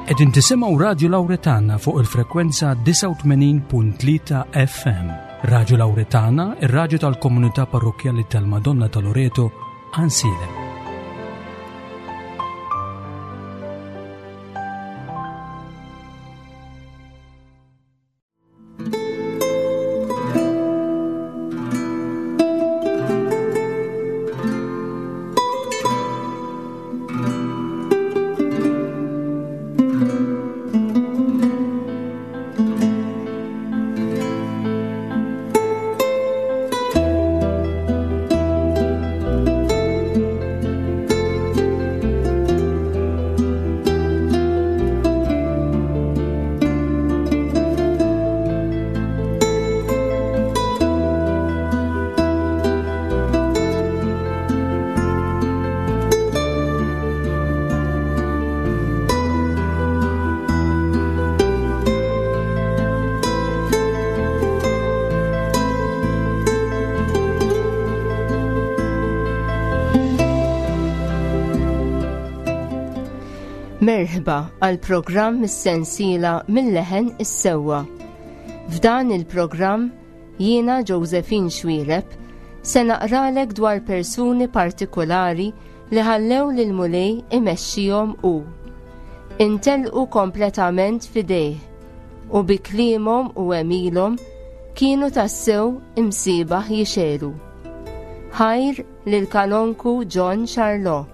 Qegħdin tisimgħu Radju Lawretana fuq il-frekwenza 89.3 FM. Radju Lawretana, ir-radju tal-komunità parrokkjali tal-Madonna ta' Loreto, Ansilem. Merħba għal programm mis-sensiela mill-leħen is-sewwa. F'dan il-programm jiena Josephine Xwireb se naqralek dwar persuni partikolari li ħallew lil Mulej imexxihom hu. Intelqu kompletament f'idejh u bi kliemhom u għemilhom kienu tassew imsiebaħ jixegħlu. Ħajr lil Kanonku John Charlot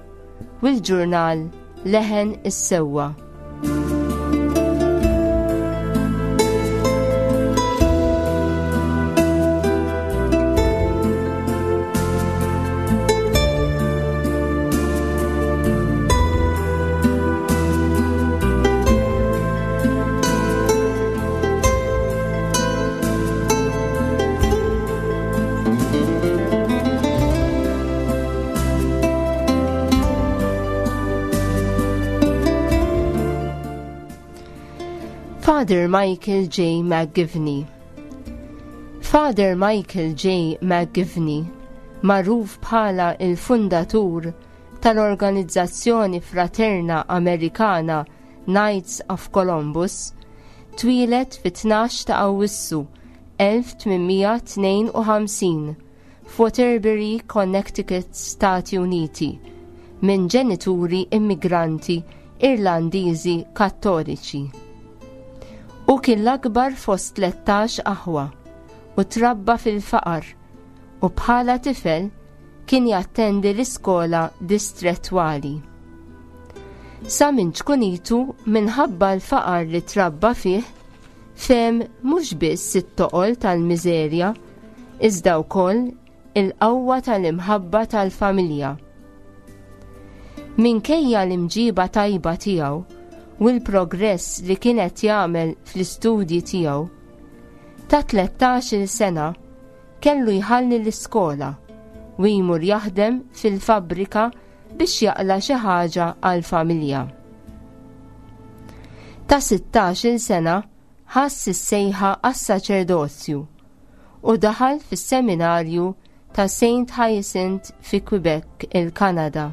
u l-ġurnal Leħen is-Sewwa. Father Michael J. McGivney Father Michael J. McGivney, magħruf bħala il-fundatur tal-organizzazzjoni fraterna Amerikana Knights of Columbus, twieled fit-12 ta' Awwissu 1852 f'Waterbury, Connecticut, Stati Uniti, minn ġenituri immigranti Irlandiżi Kattoliċi. Hu kien l-akbar fost 13 aħwa u trabba fil-faqar u bħala tifel kien jattendi l-iskola distrettwali. Sa minn ċkunitu minħabba l-faqar li trabba fih, fehem mhux biss it-toqol tal-miżerja, iżda wkoll il-qawwa tal-imħabba tal-familja. Minkejja l-imġiba tajba tiegħu u l-progress li kien qed jagħmel fl-istudji tiegħu, ta' 13-il sena kellu jħalli l-iskola u jmur jaħdem fil-fabbrika biex jaqla' xi ħaġa għall-familja. Ta' 16-il sena ħass is-sejħa għas-saċerdozju u daħal fis-seminarju ta' Saint Hyacinth fi Quebec, il-Kanada.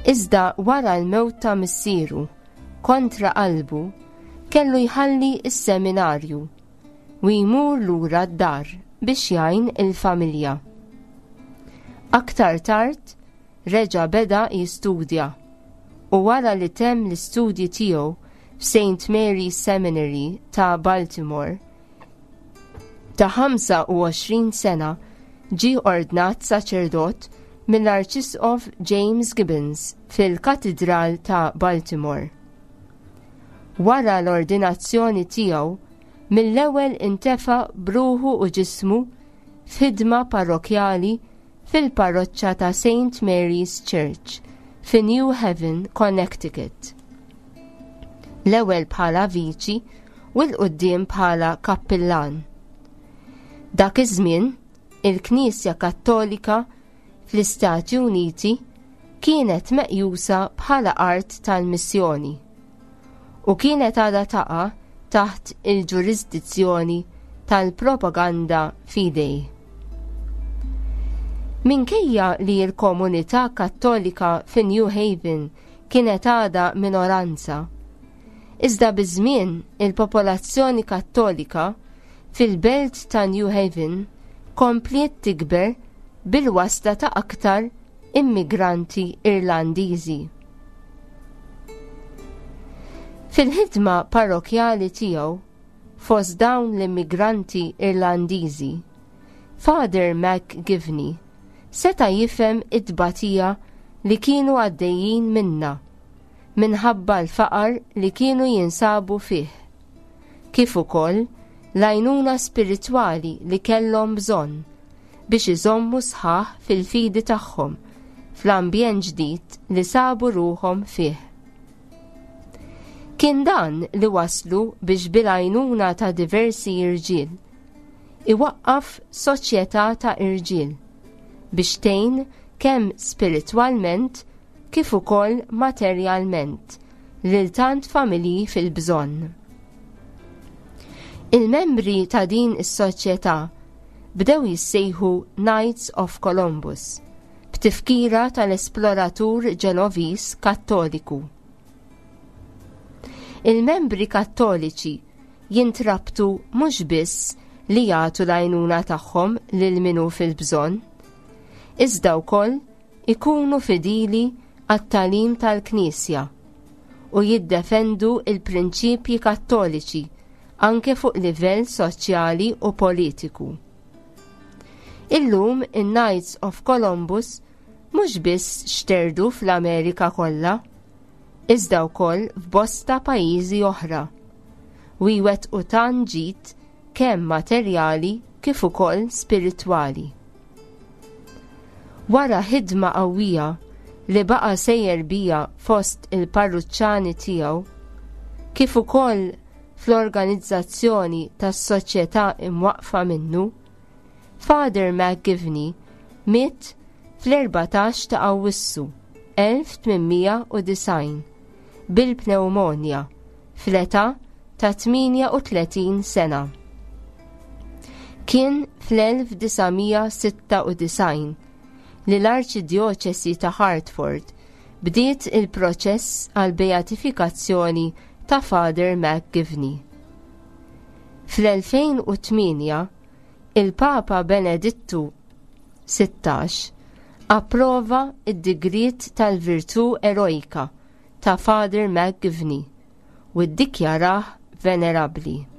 Iżda wara l-mewt ta' missieru, kontra qalbu, kellu jħalli s-seminarju u jmur lura d-dar biex jgħin il-familja. Aktar tard reġa' beda jistudja u wara li temm l-istudji tiegħu f'Saint Mary's Seminary ta' Baltimore, ta' 25 sena ġie ordnat saċerdot mill-Arċisqof James Gibbons fil-Katidral ta' Baltimore. Wara l-ordinazzjoni tiegħu, mill-ewwel intefa' b'ruħu u ġismu f'ħidma parrokkjali fil-parroċċa ta' Saint Mary's Church fi New Haven, Connecticut. L-ewwel bħala viċi u 'l quddiem bħala kappillan. Dak iż-żmien, il-Knisja Kattolika fl-Istati Uniti kienet meqjusa bħala art tal-missjoni u kienet għadha taqa' taħt il-ġurisdizzjoni tal-Propaganda Fidei. Minkejja li l-komunità Kattolika fi New Haven. kienet għadha minoranza. Iżda biż-żmien il-popolazzjoni Kattolika fil-belt ta' New Haven kompliet tikber bil-wasla ta' aktar immigranti Irlandiżi. Fil-ħidma parrokjali tiegħu fost dawn l-immigranti Irlandiżi, Father McGivney seta' jifhem it-tbatija li kienu għaddejjin minnha minħabba l-faqar li kienu jinsabu fih, kif ukoll l-għajnuna spiritwali li kellhom bżonn biex iżommu sħaħ fil-fidi tagħhom fl-ambjent ġdid li sabu ruħhom fih. Kien dan li waslu biex bil-għajnuna ta' diversi irġiel iwaqqaf soċjetà ta' irġiel biex tgħin kemm spiritwalment kif ukoll materjalment lil tant familji fil-bżonn. Il-membri ta' din is-soċjetà bdew jissejħu Knights of Columbus b'tifkira tal-esploratur Ġenoviż Kattoliku. Il-membri Kattoliċi jintrabtu mhux biss li jagħtu l-għajnuna tagħhom lil min hu fil-bżonn, iżda wkoll ikunu fidili għat-tagħlim tal-Knisja u jiddefendu l-prinċipji Kattoliċi anke fuq livell soċjali u politiku. Illum in-Knights of Columbus mhux biss xterdu fl-Amerika kollha, iżda wkoll f'bosta pajjiżi oħra, u jwettqu tant ġid kemm materjali kif ukoll spiritwali. Wara ħidma qawwija li baqa' sejjer biha fost il-parruċċani tiegħu, kif ukoll fl-organizzazzjoni tas-soċjetà imwaqqfa minnu, Father McGivney miet fl-14 ta' Awwissu 1890 bil-pnewmonja fl-età ta' 38 sena. Kien fl-1996 li l-Arċidjoċesi ta' Hartford bdiet il-proċess għall-beatifikazzjoni ta' Father McGivney. Fl-2008, il-Papa Benedittu 16 approva d-digriet tal-virtù erojka ta' Father McGivney u ddikjarah venerabbli.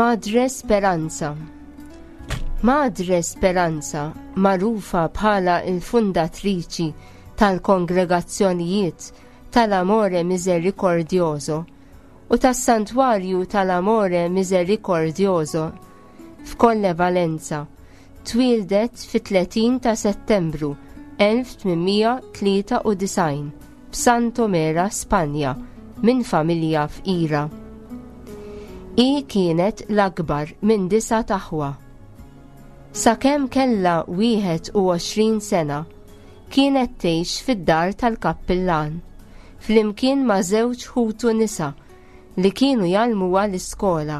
Madre Speranza Madre Speranza, magħrufa bħala l-fundatriċi tal-kongregazzjonijiet tal-Amore Misericordioso u tas-Santwarju tal-Amore Misericordioso f'Colle Valenza, twieldet fit-30 ta' Settembru 1893 f'Santomera, Spanja, minn familja fqira. Hi kienet l-akbar minn disa' aħwa. Sakemm kellha 21 sena, kienet tgħix fid-dar tal-kappillan, flimkien ma' żewġ ħutu nisa li kienu jgħallmuha l-iskola.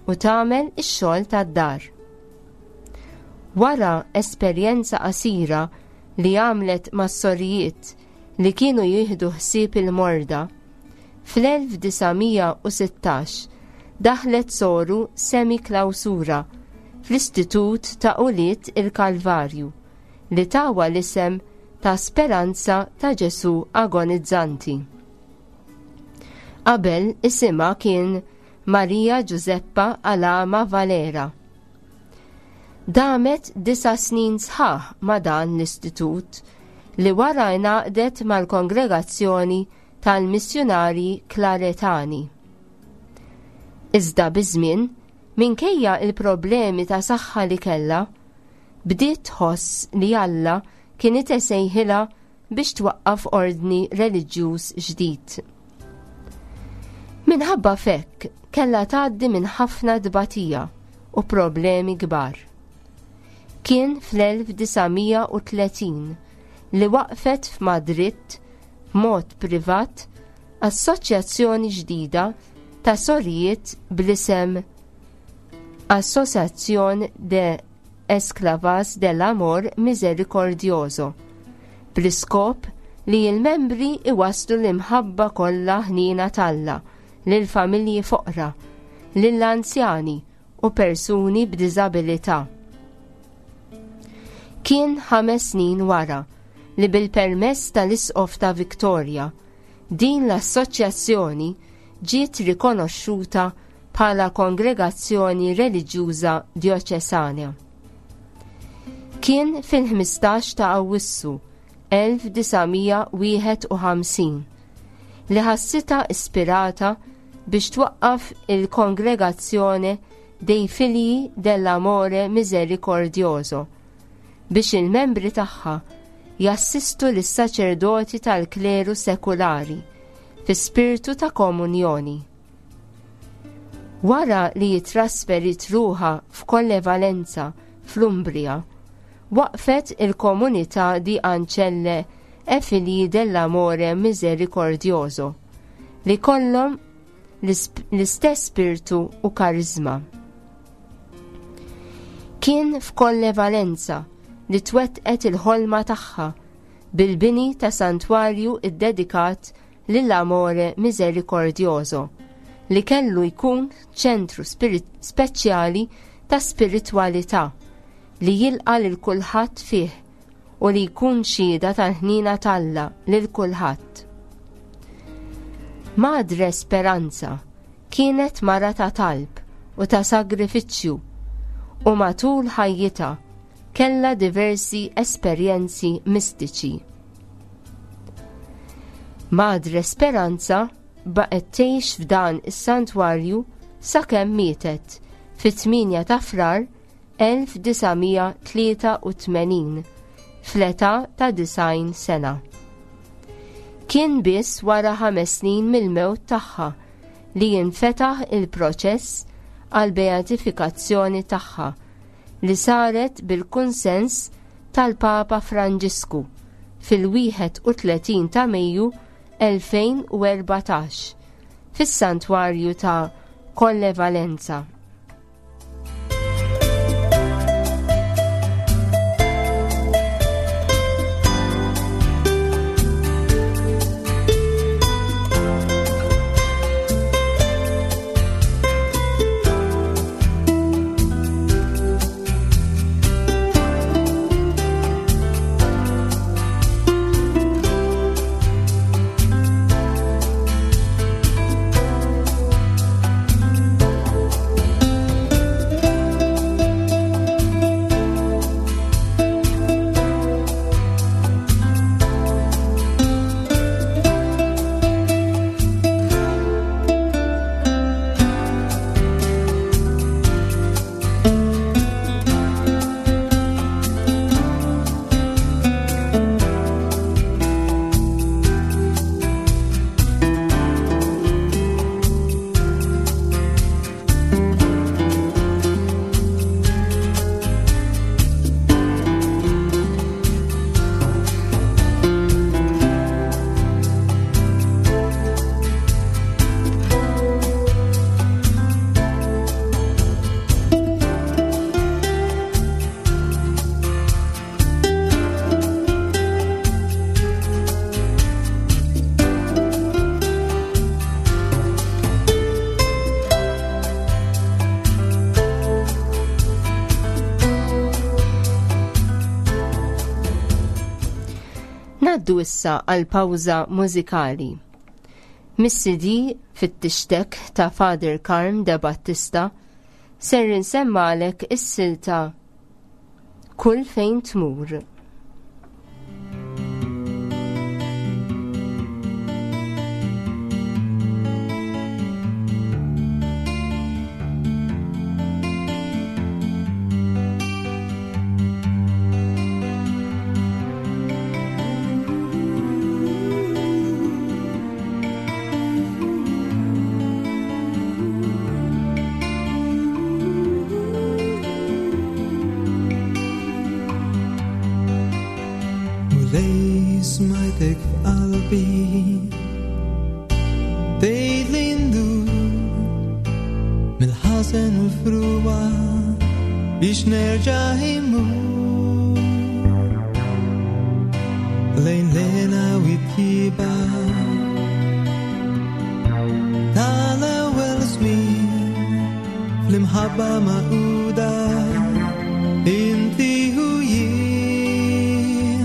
u tagħmel ix-xogħol tad-dar. Wara esperjenza qasira li għamlet mas-sorijiet li kienu jieħdu ħsieb il-morda, fl-1916 daħlet soru semi-klawsura fl-Istitut ta' Ulied il-Kalvarju li tawha l-isem ta' Speranza ta' Ġesù Agonizzanti. Qabel isimha kien Maria Giuseppa Alama Valera. Damet disa' snin sħaħ ma' dan l-istitut li wara ingħaqdet mal-Kongregazzjoni tal-Missjunarji Klaretani. Iżda biż-żmien, minkejja l-problemi ta' saħħa li kellha, bdiet tħoss li Alla kien isejħilha biex twaqqaf ordni reliġjuż ġdid. Minħabba f'hekk kellha tgħaddi minn ħafna tbatija u problemi kbar. Kien fl-1930 li waqfet f'Madrid b'mod privat assoċjazzjoni ġdida ta' sorijiet bl-isem Asociación de Esclavas del Amor Misericordioso, bl-iskop li l-membri iwasslu l-imħabba kollha ħniena t'Alla lill-familji foqra, lill-anzjani u persuni b'diżabilità. Kien ħames snin wara li bil-permess tal-Isqof ta' Victoria, din l-assoċjazzjoni ġiet rikonoxxuta bħala kongregazzjoni reliġjuża djoċesana. Kien fil-15 ta' Awwissu 1951 li ħassitha ispirata biex twaqqaf il-Kongregazzjone dei Figli dell'Amore Misericordioso biex il-membri tagħha jassistu lis-saċerdoti tal-kleru sekulari fi spirtu ta' komunjoni. Wara li ttrasferit ruħha f'Colle Valenza fl-Umbria, waqfet il-Komunità di Ancelle e Figli dell'Amore Misericordioso li kollhom l-istess spirtu u kariżma. Kien f'Colle Valenza li twettqet il-ħolma tagħha bil-bini ta' santwarju ddedikat lill-Amore Misericordioso, li kellu jkun ċentru speċjali ta' spiritwalità li jilqa' lil kulħadd fih u li jkun xhieda tal-ħniena t'Alla lil kulħadd. Madre Speranza kienet mara ta' talb u ta' sagrifiċċju u matul ħajjitha kellha diversi esperjenzi mistiċi. Madre Speranza baqgħet tgħix f'dan is-santwarju sakemm mietet fit-8 ta' Frar 1983 fl-età ta' 90 sena. Kien biss wara ħames snin mill-mewt tagħha li jinfetaħ il-proċess għall-beatifikazzjoni tagħha li saret bil-kunsens tal-Papa Franġisku fil-31 ta' Mejju 2014 fis-Santwarju ta' Colle Valenza. Ngħaddu issa għal pawża mużikali. Mis-CD fit-tixtek ta' Father Karm de Battista ser insemmalek is-silta Kull fejn tmur. Mulej smajtek f'qalbi Tgħid li ndur Mill-ħażen u l-frua Biex nerġa' immur Lejn lena u t-tjieba Tal-ewwel żmien Fl-imħabba magħquda Inti u jien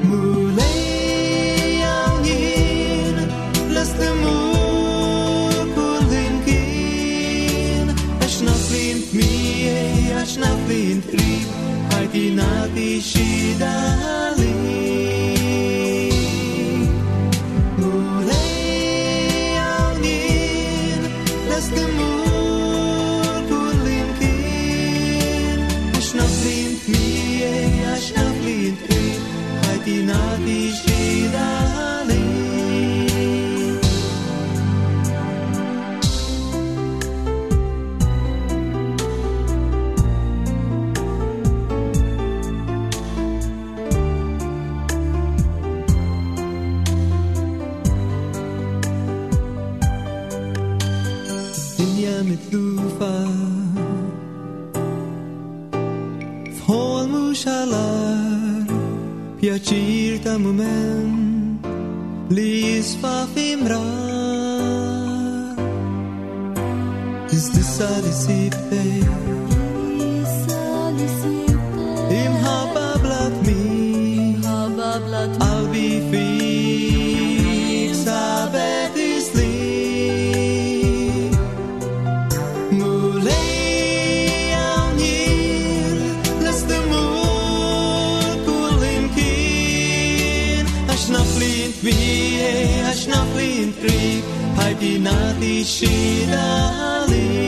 Mulej hawn jien Lest immur kullimkien Għax naf li int miegħi Għax naf li int qrib Ħajti nagħti xhieda għalik Mulej hawn jien Lest immur kullimkien Għax naf li int miegħi Għax naf li int qrib Ħajti nagħti xhieda għalik Dinja mitlufa F'ħolm u xalar Pjaċir ta' mument Li jisfa f'imrar Iżdissa li sibtek Imħabba bla tmiem Qalbi fik sabet islim Mulej hawn jien lest immur kullimkien Għax naf li int miegħi, għax naf li int qrib Ħajti nagħti xhieda għalik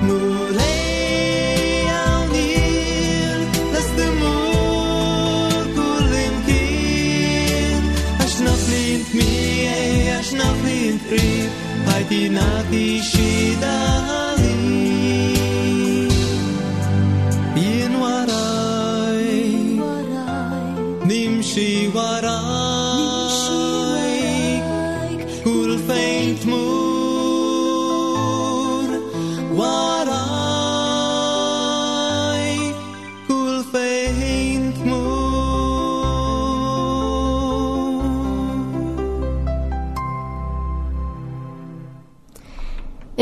Mulej hawn jien lest immur kullimkien Għax naf li int miegħi, għax naf li int qrib Ħajti nagħti xhieda għalik Jien warajk, nimxi warajk, kull fejn tmur, warajk, kull fejn tmur.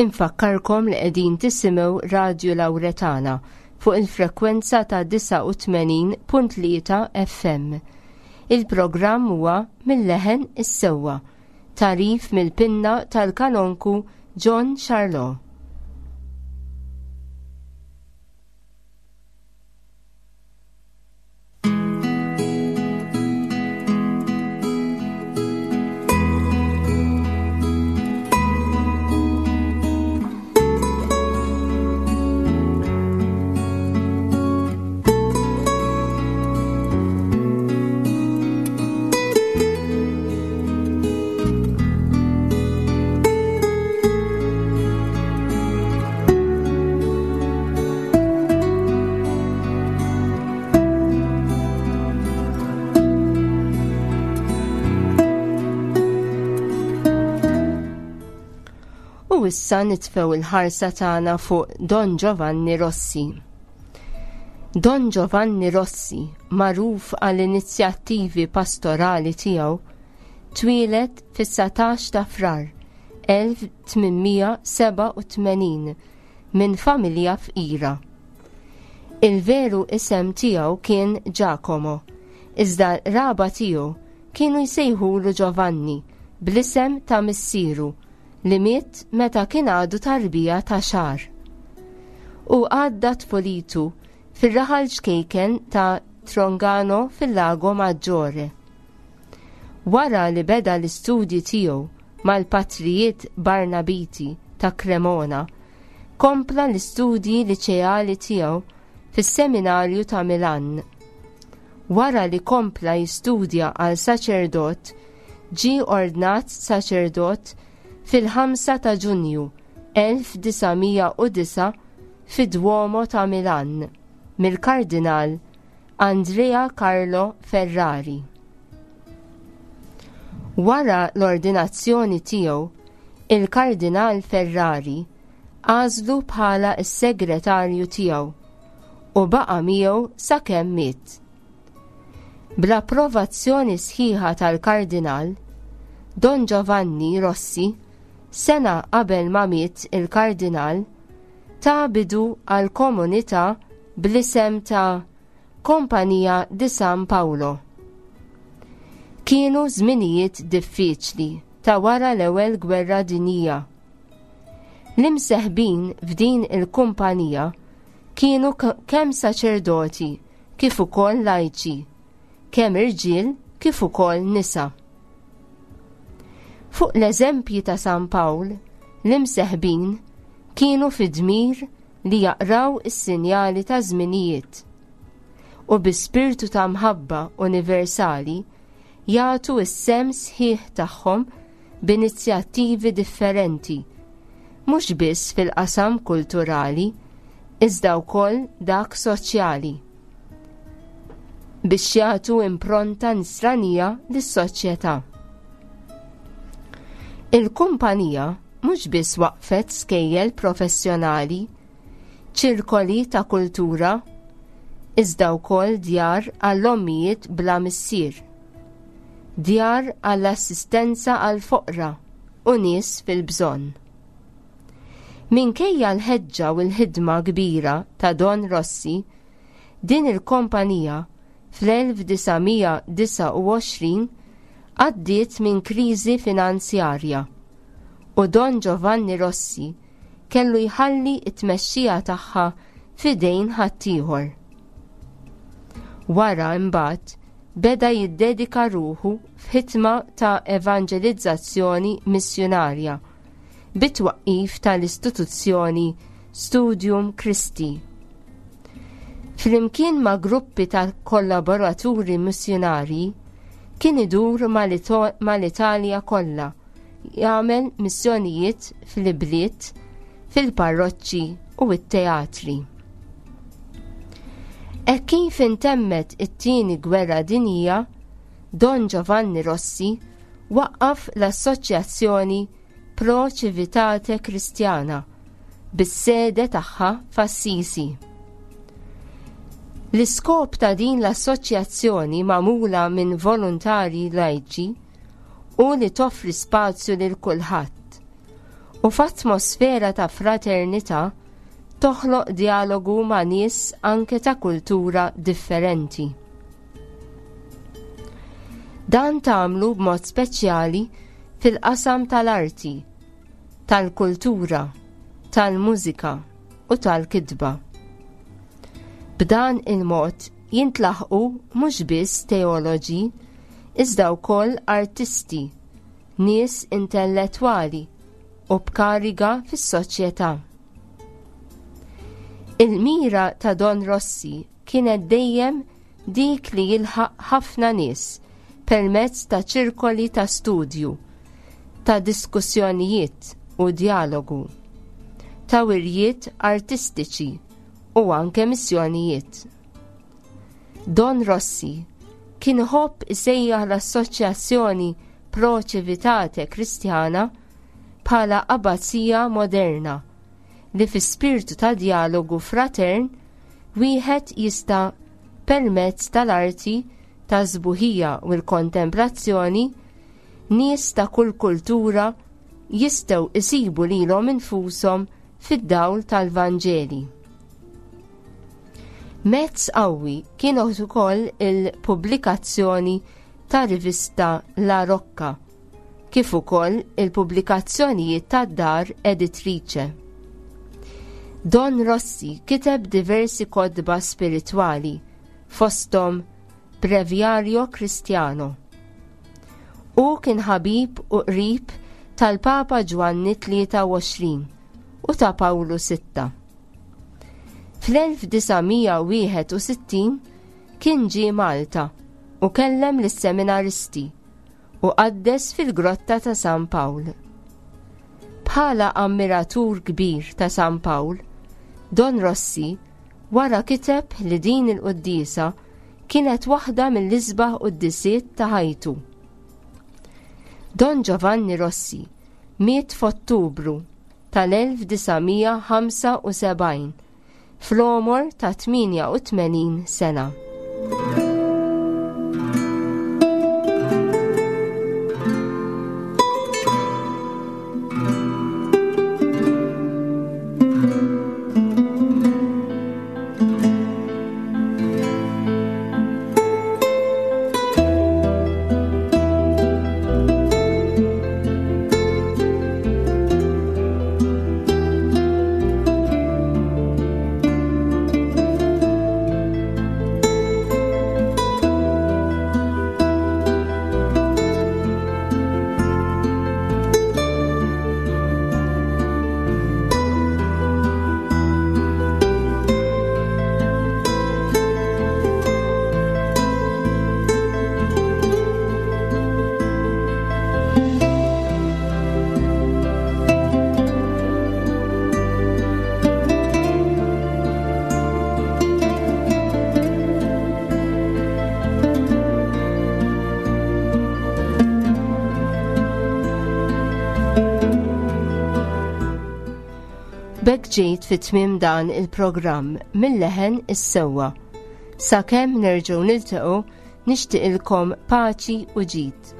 Infakkarkom li qegħdin tisimgħu Radju Lawretana fuq il-frekwenza ta' 89.3 FM. Il-programm huwa Mill-Leħen is-Sewwa, tagħrif mill-pinna tal-kanonku John Charlot. U issa nitfew il-ħarsa tagħna fuq Don Giovanni Rossi. Don Giovanni Rossi, magħruf għall-inizjattivi pastorali tiegħu, twieled fis-19 ta' Frar 1887 minn familja fqira. Il-veru isem tiegħu kien Giacomo, iżda raba tiegħu kienu jsejħulu Giovanni bl-isem ta' missieru li miet meta kien għadu tarbija ta' xahar. Hu għadda tfulitu fir-raħal ċkejken ta' Trongano fil-Lago Maggiore. Wara li beda l-istudji tiegħu mal-patrijiet Barnabiti ta' Cremona, kompla l-istudji liċeali tiegħu fis-Seminarju ta' Milan. Wara li kompla jistudja għal saċerdot, ġie ordnat saċerdot fil-5 ta' Ġunju 1909 fid-Duomo ta' Milan mill-Kardinal Andrea Carlo Ferrari. Wara l-ordinazzjoni tiegħu, il-Kardinal Ferrari għażlu bħala s-segretarju tiegħu u baqa' miegħu sakemm miet. Bl-approvazzjoni sħiħa tal-Kardinal, Don Giovanni Rossi, sena qabel ma miet il-Kardinal, ta bidu għal komunità bl-isem ta' Compagnia di San Paolo. Kienu żminijiet diffiċli ta' wara l-Ewwel Gwerra Dinjija. L-imseħbin f'din il-kumpanija kienu kemm saċerdoti kif ukoll lajċi, kemm irġiel kif ukoll nisa. Fuq l-eżempji ta' San Pawl, l-imseħbin kienu fi dmir li jaqraw is-sinjali ta' żminijiet u bi spirtu ta' mħabba universali jagħtu s-sehem sħiħ tagħhom b'inizjattivi differenti, mhux biss fil-qasam kulturali, iżda wkoll dak soċjali biex jagħtu impronta nisranija lis-soċjetà. Il-kumpanija mhux biss waqfet skejjel professjonali, ċirkoli ta' kultura, iżda wkoll djar għall-ommijiet bla missier, djar għall-assistenza għall-foqra u nies fil-bżonn. Minkejja l-ħeġġa u l-ħidma kbira ta' Don Rossi, din il-kompanija fl-1929 għaddiet minn kriżi finanzjarja u Don Giovanni Rossi kellu jħalli t-tmexxija tagħha f'idejn ħaddieħor. Wara imbagħad beda jiddedika ruħu f'ħidma ta' evanġelizzazzjoni missjunarja bit-twaqqif tal-istituzzjoni Studium Christi. Flimkien ma' gruppi ta' kollaboraturi missjunarji, kien idur mal-Italja kollha jagħmel missjonijiet fl-ibliet, fil-parroċċi u t-teatri. Hekk kif intemmet it-Tieni Gwerra Dinjija, Don Giovanni Rossi waqqaf l-Assoċjazzjoni Pro Civitate Christiana bis-sede tagħha f'Assisi. L-iskop ta' din l-assoċjazzjoni magħmula minn volontarji lajċi hu li toffri spazju lil kulħadd u f'atmosfera ta' fraternità toħloq djalogu ma' nies anke ta' kultura differenti. Dan tagħmlu b'mod speċjali fil-qasam tal-arti, tal-kultura, tal-mużika u tal-kitba. B'dan il-mod jintlaħqu mhux biss teoloġi, iżda wkoll artisti, nies intellettwali u b'kariga fis-soċjetà. Il-mira ta' Don Rossi kienet dejjem dik li jilħaq ħafna nies permezz ta' ċirkoli ta' studju, ta' diskussjonijiet u djalogu, ta' wirjiet artistiċi u anke missjonijiet. Don Rossi kien iħobb isejjaħ l-Assoċjazzjoni Pro Civitate Christiana bħala abbazija moderna li fi spirtu ta' djalogu fratern wieħed jista' permezz tal-arti tas-sbuħija u l-kontemplazzjoni nies ta' kull kultura jistgħu jsibu lilhom infushom fid-dawl tal-Vanġeli. Mezz qawwi kien ukoll il-pubblikazzjoni ta' rivista La Rocca, kif ukoll il-pubblikazzjonijiet tad-dar editrice. Don Rossi kiteb diversi kotba spiritwali, fosthom Breviario Cristiano. Hu kien ħabib u qrib tal-Papa Ġwanni 23 u ta' Pawlu Sitta. Fl-1961 kien ġie Malta u kellem lis-seminaristi u qaddes fil-Grotta ta' San Pawl. Bħala ammiratur kbir ta' San Pawl, Don Rossi wara kiteb li din il-quddiesa kienet waħda mill-isbaħ quddisiet ta' ħajtu. Don Giovanni Rossi miet f'Ottubru tal-1975 fl-għomor ta' 88 sena. B'hekk ġejt fi tmiem dan il-programm mill-leħen is-sewwa. Sakemm nerġgħu niltaqgħu nixtieqilkom paċi u ġid.